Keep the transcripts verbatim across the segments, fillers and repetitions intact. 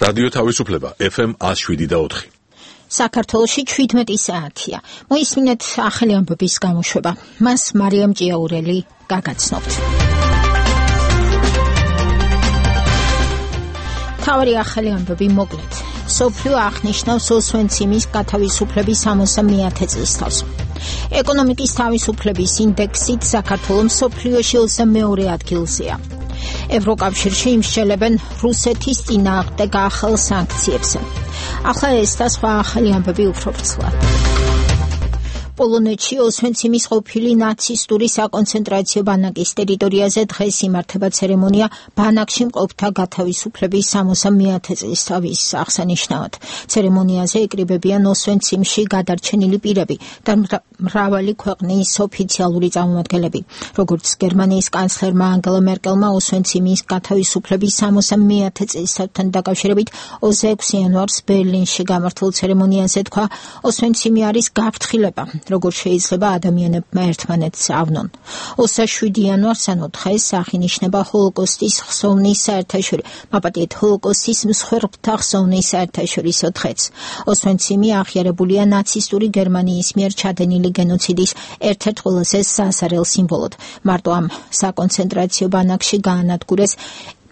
რადიო თავისუფლება ეფ ემ ათს შვიდი და ოთხი. საქართველოში შვიდმეტი საათია. მოისმინეთ ახალი ამბების გამოშვება. მას მარიამ ჭიაურელი გაგაცნობთ. თავი ახალი ამბები მოკლედ. სოფლიო აღნიშნავს ოსვენციმის გათავისუფლების სამოცდა მეათე წლისთავს. ეკონომიკის თავისუფლების ინდექსით საქართველოს სოფლიოში ოცდამეორე ადგილზეა. ევროკავშირში იმსჯელებენ რუსეთის წინააღმდეგ ახალ სანქციებს. ახლა ეს და სხვა ახალი ამბები უფრო ვრცლად. პოლონეთში ოსვენციმის ყოფილი ნაცისტური საკონცენტრაციო ბანაკის ტერიტორიაზე დღეს იმართება ცერემონია ბანაკში მყოფთა გათავისუფლების სამოცდა მეათე წლისთავის აღსანიშნავად. ცერემონიაზე ეკრიბებიან ოსვენციმში გადარჩენილი პირები და მრავალი ქვეყნის ოფიციალური წარმომადგენლები. როგორც გერმანიის კანცლერმა ანგელა მერკელმა ოსვენციმის გათავისუფლების სამოცდა მეათე წლისთავთან დაკავშირებით ოცდაექვსი იანვარს ბერლინში გამართულ ცერემონიაზე თქვა, ოსვენციმი არის გაფრთხილება, როგორც შეიძლება ადამიანებმა ერთმანეთს ავნონ. ოცდაშვიდი იანვარს ანუ დღეს აღინიშნება ჰოლოკოსტის ხსოვნის საერთაშორისო მაპატიეთ ჰოლოკოსტის მსხვერპლთა ხსოვნის საერთაშორისო დღეც. ოსვენციმი აღიარებულია ნაცისტური გერმანიის მიერ ჩადენილი გენოციდის ერთ-ერთ ყველაზე სასარელ სიმბოლოდ. მარტო ამ საკონცენტრაციო ბანაკში გაანადგურეს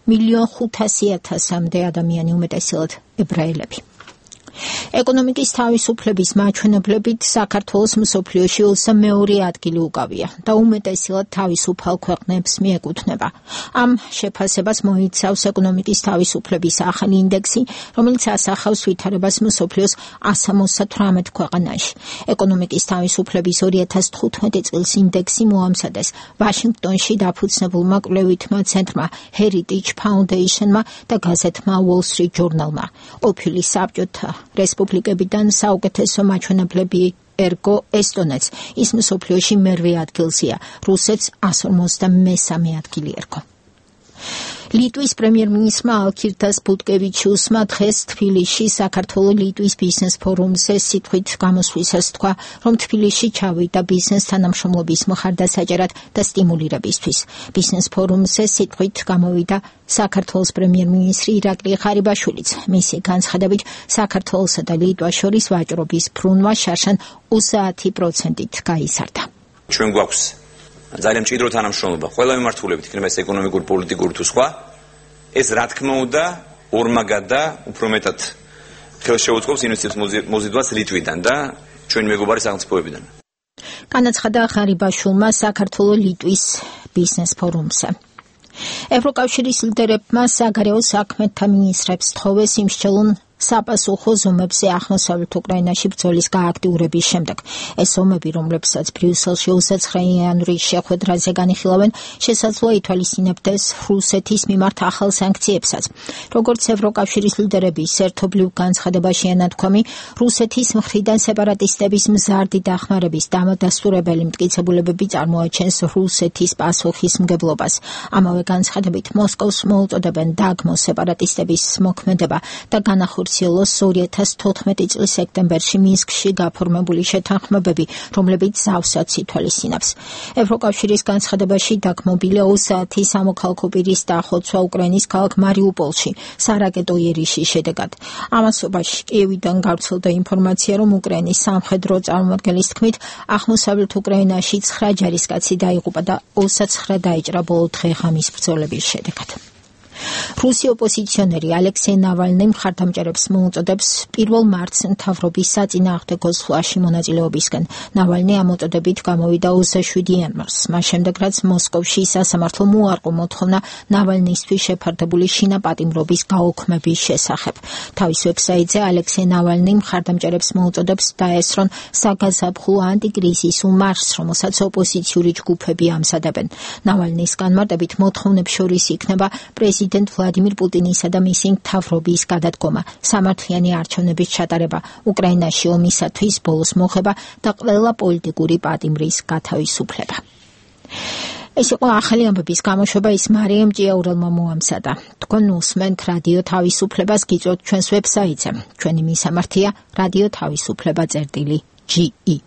მილიონ ხუთასი ათასამდე ადამიანი, უმეტესად ებრაელები. ეკონომიკის თავისუფლების მაჩვენებლებით საქართველოს მსოფლიოში ოცდამეორე ადგილი უკავია და უმეტესად თავისუფალ ქვეყნებს მიეკუთვნება. ამ შეფასებას მოიცავს ეკონომიკის თავისუფლების ახალი ინდექსი, რომელიც ასახავს ვითარებას მსოფლიოს εκατს სამოცდათვრამეტ ქვეყანაში. ეკონომიკის თავისუფლების ორი ათას თხუთმეტი წლის ინდექსი მოამზადეს ვაშინგტონში დაფუძნებულმა კვლევითმა ცენტრმა Heritage Foundation-მა და გაზეთმა Wall Street Journal-მა. ყოფილი საბჭოთა რესპუბლიკებიდან საუკეთესო მაჩვენებლები ერგო ესტონეთს, ის მსოფლიოში მერვე ადგილზეა, რუსეთს εκατს ორმოცდამესამე ადგილი ერგო. ლიტვის პრემიერ-მინისტრმა ალგირდას ბუტკევიჩიუსმა დღეს თბილისში საქართველო-ლიტვის ბიზნეს ფორუმზე სიტყვით გამოსვლისას თქვა, რომ თბილისში ჩავიდა ბიზნეს თანამშრომლობის მხარდასაჭერად და სტიმულირებისთვის. ბიზნეს ფორუმზე სიტყვით გამოვიდა საქართველოს პრემიერ-მინისტრი ირაკლი ღარიბაშვილიც. მისი განცხადებით, საქართველოსა და ლიტვას შორის ვაჭრობის ბრუნვა შარშან ოცდაათი პროცენტით გაიზარდა. ჩვენ გვაქვს ძალიან მჭიდრო თანამშრომლობა ყველა მიმართულებით, იქნება ეს ეკონომიკური, პოლიტიკური თუ სხვა. ეს რა თქმა უნდა ორმაგად და უფრო მეტად ხელშეუწყობს ინვესტიციების მოზიდვას ლიტვიდან და ჩვენი მეგობარი სახელმწიფოებიდან. განაცხადა ღარიბაშვილმა საქართველო-ლიტვის ბიზნეს ფორუმზე. ევროკავშირის ლიდერებმა საგარეო საქმეთა მინისტრებს თხოვეს იმსჯელონ საპასუხო ზომებზე აღმოსავლეთ უკრაინაში ბრძოლის გააქტიურების შემდეგ. ეს ზომები, რომლებსაც ბრიუსელში ოცდაცხრა იანვრის შეხვედრაზე განიხილავენ, შესაძლოა ითვალისწინებდეს რუსეთის მიმართ ახალ სანქციებსაც. როგორც ევროკავშირის ლიდერების ერთობლივ განცხადებაში ანათქვამი, რუსეთის მხრიდან სეპარატისტების მზარდი დახმარების დამადასტურებელი მტკიცებულებები წარმოაჩენს რუსეთის პასუხისმგებლობას. ამავე განცხადებით მოსკოვს მოუწოდებენ დაგმოს სეპარატისტების მოქმედება და განახორციელოს ორი ათას თოთხმეტი წლის სექტემბერში მინსკში გაფორმებული შეთანხმებები, რომლებიც ზავსაც ითვალისწინებს. ევროკავშირის განცხადებაში დაგმობილია ოცდაათი სამოქალაქო პირის დახოცვა უკრაინის ქალაქ მარიუპოლში სარაკეტო იერიშის შედეგად. ამასობაში კიევიდან გავრცელდა ინფორმაცია, რომ უკრაინის სამხედრო წარმომადგენლის თქმით, აღმოსავლეთ უკრაინაში ცხრა ჯარისკაცი დაიღუპა და ოცდაცხრა დაიჭრა ბოლო დღე-ღამის ბრძოლების შედეგად. რუსი ოპოზიციონერი ალექსეი ნავალნი მხარდამჭერებს მოუწოდებს პირველ მარტს მთავრობის საწინააღმდეგო ზღვაში მონაწილეობისკენ. ნავალნი ამ მოწოდებით გამოვიდა ოცდაშვიდი იანვარს, მას შემდეგ რაც მოსკოვში სასამართლო მოუარყო მოთხოვნა ნავალნისთვის შეფარდებული შინაპატიმრობის გაუქმების შესახებ. თავის ვებსაიტზე ალექსეი ნავალნი მხარდამჭერებს მოუწოდებს დაესწრონ საგაზაფხულო ანტიკრიზისულ მარშს, რომელსაც ოპოზიციური ჯგუფები ამზადებენ. ნავალნის განმარტებით მოთხოვნებს შორის იქნება პრეზიდენტ პრეზიდენტ ვლადიმირ პუტინისა და მისი მთავრობის გადადგომა, სამართლიანი არჩევნების ჩატარება, უკრაინაში ომისათვის ბოლოს მოხება და ყველა პოლიტიკური პატიმრის გათავისუფლება. ეს იყო ახალი ამბების გამოშვება, ის მარიამ ჭიაურელმა მოამზადა. თქვენ უსმენთ რადიო თავისუფლებას, გიწევთ ჩვენს ვებსაიტზე. ჩვენი მისამართია რადიო თავისუფლება წერტილი ჯი ი.